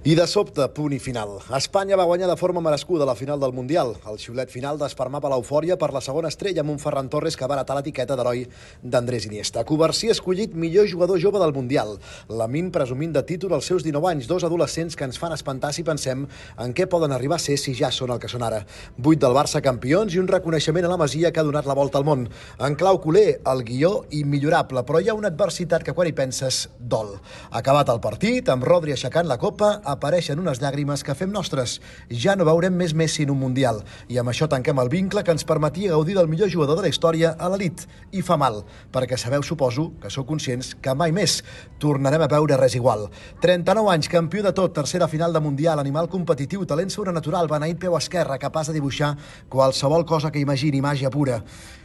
I de sobte, punt i final. Espanya va guanyar de forma merescuda la final del Mundial. El xiulet final desfermava l'eufòria per la segona estrella amb un Ferran Torres que va heretar l'etiqueta d'heroi d'Andrés Iniesta. Covarsí escollit millor jugador jove del Mundial. Lamine presumint de títol als seus 19 anys, dos adolescents que ens fan espantar si pensem en què poden arribar a ser si ja són el que són ara. 8 del Barça campions i un reconeixement a la Masia que ha donat la volta al món. En clau culer, el guió immillorable, però hi ha una adversitat que quan hi penses dol. Acabat el partit, amb Rodri aixecant la copa, apareixen unes llàgrimes que fem nostres. Ja no veurem més Messi en un Mundial. I amb això tanquem el vincle que ens permetia gaudir del millor jugador de la història a l'elit. I fa mal, perquè sabeu, suposo, que sou conscients que mai més tornarem a veure res igual. 39 anys, campió de tot, tercera final de Mundial, animal competitiu, talent sobrenatural, beneït peu esquerre, capaç de dibuixar qualsevol cosa que imagini, màgia pura.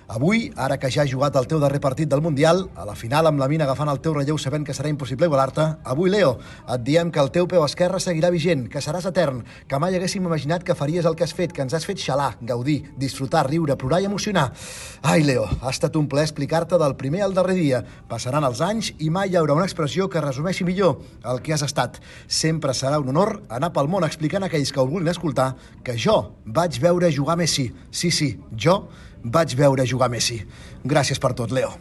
Avui, ara que ja has jugat el teu darrer partit del Mundial, a la final amb Lamine agafant el teu relleu sabent que serà impossible igualar-te, avui, Leo, et diem que el teu peu esquerre seguirà vigent, que seràs etern, que mai haguéssim imaginat que faries el que has fet, que ens has fet xalar, gaudir, disfrutar, riure, plorar i emocionar. Ai, Leo, ha estat un plaer explicar-te del primer al darrer dia. Passaran els anys i mai hi haurà una expressió que resumeixi millor el que has estat. Sempre serà un honor anar pel món explicant a aquells que ho vulguin escoltar que jo vaig veure jugar Messi. Sí, jo vaig veure jugar Messi. Gràcies per tot, Leo.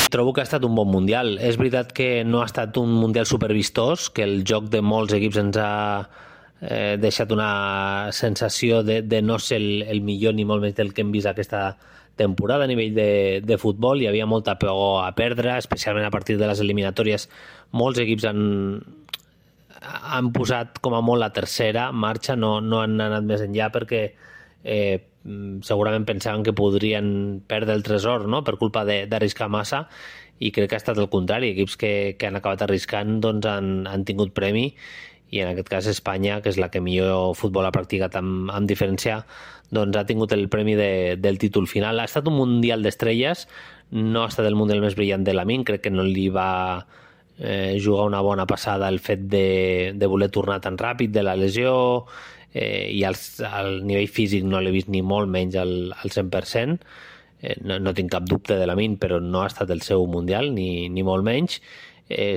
Trobo que ha estat un bon Mundial. És veritat que no ha estat un Mundial supervistós, que el joc de molts equips ens ha deixat una sensació de no ser el millor ni molt més del que hem vist aquesta temporada a nivell de futbol. Hi havia molta por a perdre, especialment a partir de les eliminatòries. Molts equips han posat com a molt la tercera marxa, no han anat més enllà perquè segurament pensaven que podrien perdre el tresor, no?, per culpa d'arriscar massa, i crec que ha estat el contrari. Equips que han acabat arriscant doncs han tingut premi, i en aquest cas Espanya, que és la que millor futbol ha practicat amb diferència, doncs ha tingut el premi del títol final. Ha estat un Mundial d'estrelles, no ha estat el Mundial més brillant de Lamine, crec que no li va jugar una bona passada el fet de voler tornar tan ràpid de la lesió, i al nivell físic no l'he vist ni molt menys al 100%. No tinc cap dubte de Lamine, però no ha estat el seu Mundial, ni molt menys.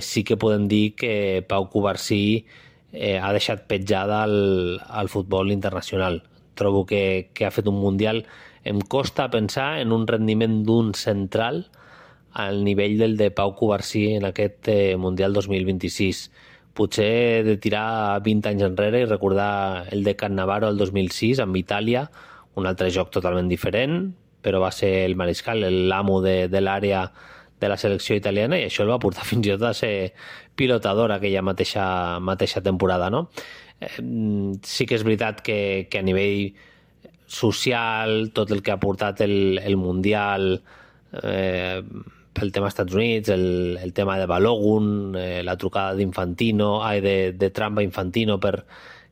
Sí que podem dir que Pau Covarsí ha deixat petjada al futbol internacional. Trobo que ha fet un Mundial. Em costa pensar en un rendiment d'un central al nivell del de Pau Covarsí en aquest Mundial 2026. Potser he de tirar 20 anys enrere i recordar el de Cannavaro el 2006 amb Itàlia, un altre joc totalment diferent, però va ser el mariscal, l'amo de l'àrea de la selecció italiana, i això el va portar fins i tot a ser pilotador aquella mateixa temporada, no? Sí que és veritat que a nivell social, tot el que ha portat el Mundial, pel tema Estats Units, el tema de Balogun, la trucada de Trump a Infantino per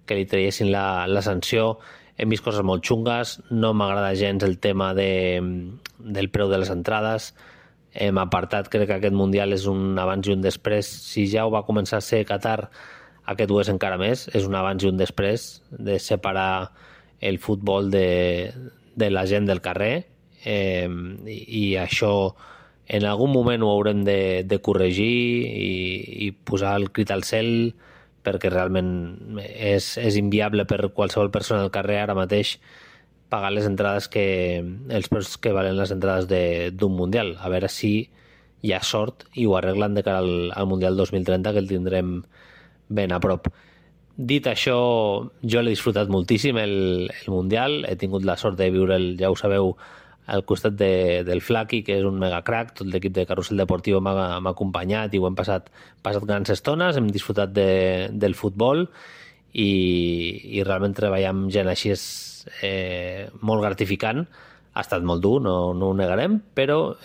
que li traiessin la sanció. Hem vist coses molt xungues, no m'agrada gens el tema del preu de les entrades. Hem apartat, crec que aquest Mundial és un abans i un després. Si ja ho va començar a ser Qatar, aquest ho és encara més, és un abans i un després de separar el futbol de la gent del carrer, i això en algun moment ho haurem de corregir i posar el crit al cel, perquè realment és inviable per qualsevol persona al carrer ara mateix pagar les entrades els preus que valen les entrades d'un Mundial. A veure si hi ha sort i ho arreglen de cara al Mundial 2030, que el tindrem ben a prop. Dit això, jo l'he disfrutat moltíssim el Mundial, he tingut la sort de viure'l, ja ho sabeu, al costat del Flaqui, que és un mega crack. Tot l'equip de Carrusel Deportivo m'ha acompanyat i ho hem passat grans estones, hem disfrutat del futbol, i realment treballar amb gent així és molt gratificant. Ha estat molt dur, no ho negarem, però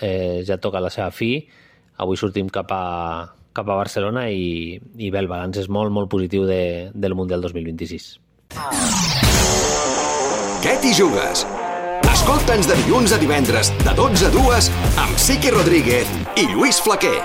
ja toca la seva fi. Avui sortim cap a Barcelona i bé, el balanç és molt, molt positiu del Mundial 2026. Què t'hi jugues? Escolta'ns de dilluns a divendres, de 12 a 2, amb Siqui Rodríguez i Lluís Flaquer.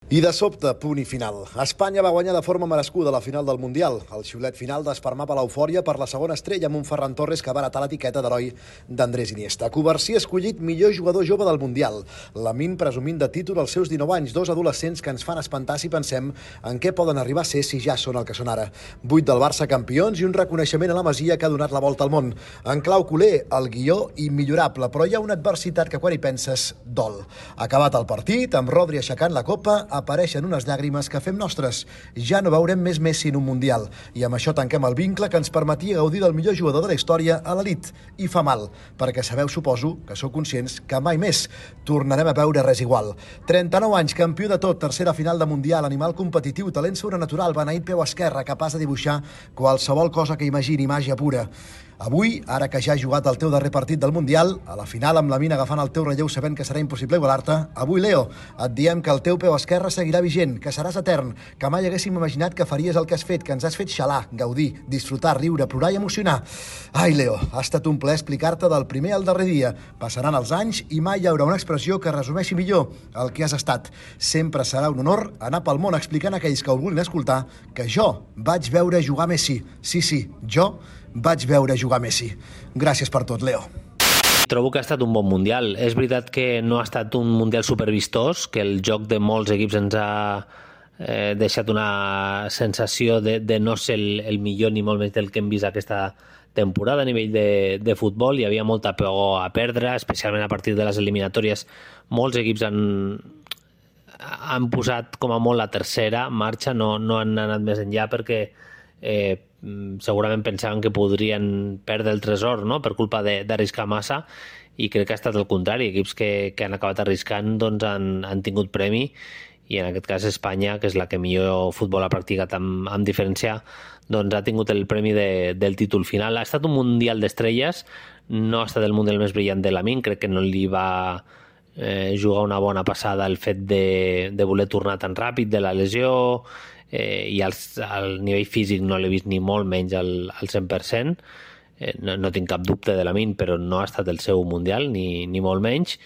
I de sobte, punt i final. Espanya va guanyar de forma merescuda la final del Mundial. El xiulet final desfermava l'eufòria per la segona estrella amb un Ferran Torres que va heretar l'etiqueta d'heroi d'Andrés Iniesta. Covarsí escollit millor jugador jove del Mundial. Lamine presumint de títol als seus 19 anys, dos adolescents que ens fan espantar si pensem en què poden arribar a ser si ja són el que són ara. 8 del Barça campions i un reconeixement a la Masia que ha donat la volta al món. En clau culer, el guió immillorable, però hi ha una adversitat que quan hi penses dol. Acabat el partit, amb Rodri aixecant la copa, apareixen unes llàgrimes que fem nostres. Ja no veurem més Messi en un Mundial. I amb això tanquem el vincle que ens permetia gaudir del millor jugador de la història a l'elit. I fa mal, perquè sabeu, suposo, que sou conscients que mai més tornarem a veure res igual. 39 anys, campió de tot, tercera final de Mundial, animal competitiu, talent sobrenatural, beneït peu esquerre, capaç de dibuixar qualsevol cosa que imagini, màgia pura. Avui, ara que ja has jugat el teu darrer partit del Mundial, a la final amb Lamine agafant el teu relleu sabent que serà impossible igualar-te, avui, Leo, et diem que el teu peu esquerre seguirà vigent, que seràs etern, que mai haguéssim imaginat que faries el que has fet, que ens has fet xalar, gaudir, disfrutar, riure, plorar i emocionar. Ai, Leo, ha estat un plaer explicar-te del primer al darrer dia. Passaran els anys i mai hi haurà una expressió que resumeixi millor el que has estat. Sempre serà un honor anar pel món explicant a aquells que ho vulguin escoltar que jo vaig veure jugar Messi. Sí, jo vaig veure jugar Messi. Gràcies per tot, Leo. Trobo que ha estat un bon Mundial. És veritat que no ha estat un Mundial supervistós, que el joc de molts equips ens ha deixat una sensació de no ser el millor ni molt menys del que hem vist aquesta temporada a nivell de futbol. Hi havia molta por a perdre, especialment a partir de les eliminatòries. Molts equips han posat com a molt la tercera marxa, no han anat més enllà perquè segurament pensaven que podrien perdre el tresor, no?, per culpa d'arriscar massa, i crec que ha estat el contrari. Equips que han acabat arriscant doncs han tingut premi, i en aquest cas Espanya, que és la que millor futbol ha practicat amb diferència, doncs ha tingut el premi del títol final. Ha estat un Mundial d'estrelles, no ha estat el Mundial més brillant de Lamine, crec que no li va jugar una bona passada el fet de voler tornar tan ràpid de la lesió, i al nivell físic no l'he vist ni molt menys al 100%. No tinc cap dubte de Lamine, però no ha estat el seu Mundial, ni molt menys.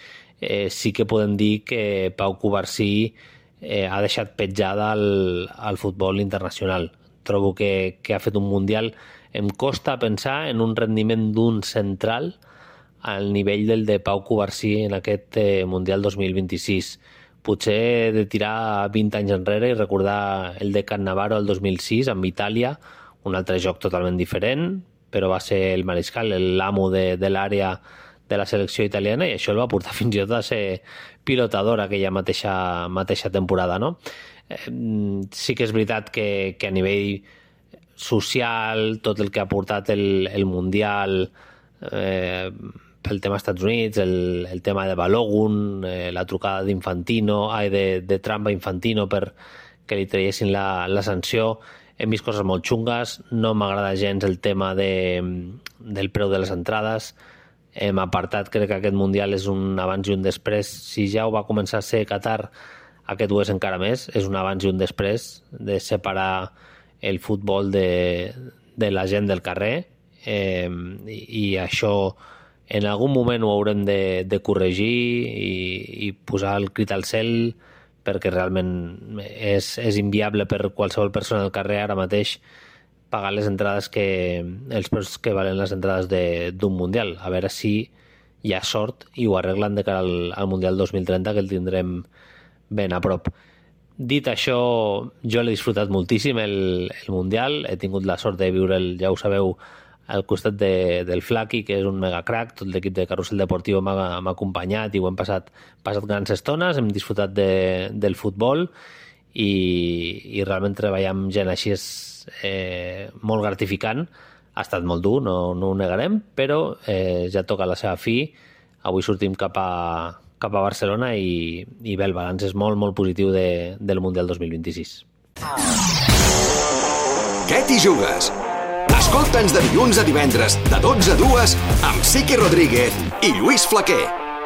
Sí que podem dir que Pau Covarsí ha deixat petjada al futbol internacional. Trobo que ha fet un Mundial. Em costa pensar en un rendiment d'un central al nivell del de Pau Covarsí en aquest Mundial 2026. Potser he de tirar 20 anys enrere i recordar el de Cannavaro el 2006 amb Itàlia, un altre joc totalment diferent, però va ser el mariscal, l'amo de l'àrea de la selecció italiana, i això el va portar fins i tot a ser pilotador aquella mateixa temporada, no? Sí que és veritat que a nivell social, tot el que ha portat el Mundial, pel tema Estats Units, el tema de Balogun, la trucada de Trump a Infantino per que li traiessin la sanció. Hem vist coses molt xungues, no m'agrada gens el tema del preu de les entrades. Hem apartat, crec que aquest Mundial és un abans i un després. Si ja ho va començar a ser Qatar, aquest ho és encara més, és un abans i un després de separar el futbol de la gent del carrer, i això en algun moment ho haurem de corregir i posar el crit al cel, perquè realment és inviable per qualsevol persona al carrer ara mateix pagar les entrades els preus que valen les entrades d'un Mundial. A veure si hi ha sort i ho arreglen de cara al Mundial 2030, que el tindrem ben a prop. Dit això, jo l'he disfrutat moltíssim el Mundial. He tingut la sort de viure'l, ja ho sabeu, al costat del Flaqui, que és un mega crack. Tot l'equip de Carrusel Deportivo m'ha acompanyat i ho hem passat grans estones, hem disfrutat del futbol, i realment treballar amb gent així és molt gratificant. Ha estat molt dur, no ho negarem, però ja toca la seva fi. Avui sortim cap a Barcelona i bé, el balanç és molt, molt positiu del Mundial 2026. Què t'hi jugues? Escolta'ns de dilluns a divendres, de 12 a 2, amb Siqui Rodríguez i Lluís Flaquer.